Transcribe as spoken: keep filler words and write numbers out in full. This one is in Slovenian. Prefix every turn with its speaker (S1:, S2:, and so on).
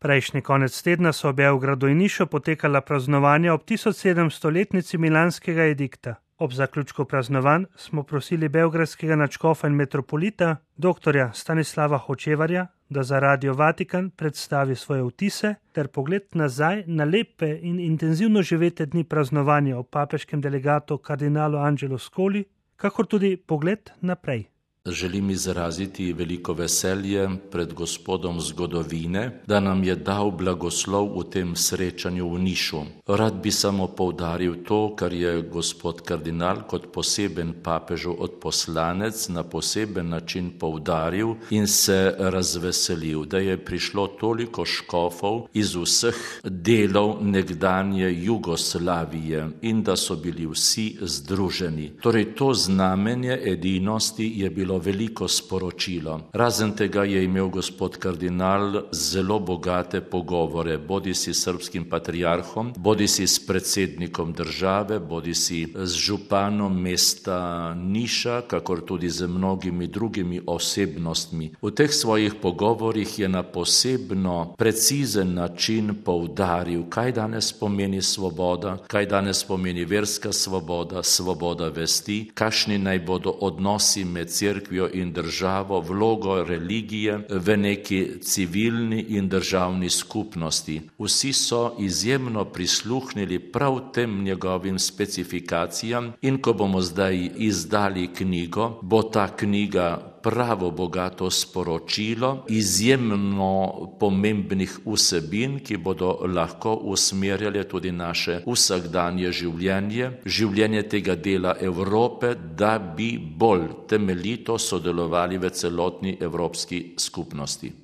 S1: Prejšnji konec tedna so v Beogradu in Nišu potekala praznovanja ob tisoč sedemstoletnici milanskega edikta. Ob zaključku praznovanj smo prosili beogradskega nadškofa in metropolita, doktorja Stanislava Hočevarja, da za Radio Vatikan predstavi svoje vtise ter pogled nazaj na lepe in intenzivno živete dni praznovanja ob papeškem delegatu kardinalu Angelu Scoli, kakor tudi pogled naprej.
S2: Želim izraziti veliko veselje pred Gospodom zgodovine, da nam je dal blagoslov v tem srečanju v Nišu. Rad bi samo poudaril to, kar je gospod kardinal kot poseben papežu odposlanec na poseben način poudaril in se razveselil, da je prišlo toliko škofov iz vseh delov nekdanje Jugoslavije in da so bili vsi združeni. Torej to znamenje edinosti je bilo veliko sporočilo. Razen tega je imel gospod kardinal zelo bogate pogovore, bodisi s srbskim patriarhom, bodisi s predsednikom države, bodisi z županom mesta Niša, kakor tudi z mnogimi drugimi osebnostmi. V teh svojih pogovorih je na posebno precizen način poudaril, kaj danes pomeni svoboda, kaj danes pomeni verska svoboda, svoboda vesti, kakšni naj bodo odnosi med cerkvijo in državo, vlogo religije v neki civilni in državni skupnosti. Vsi so izjemno prisluhnili prav tem njegovim specifikacijam in ko bomo zdaj izdali knjigo, bo ta knjiga pravo bogato sporočilo izjemno pomembnih vsebin, ki bodo lahko usmerjale tudi naše vsakdanje življenje, življenje tega dela Evrope, da bi bolj temeljito sodelovali v celotni evropski skupnosti.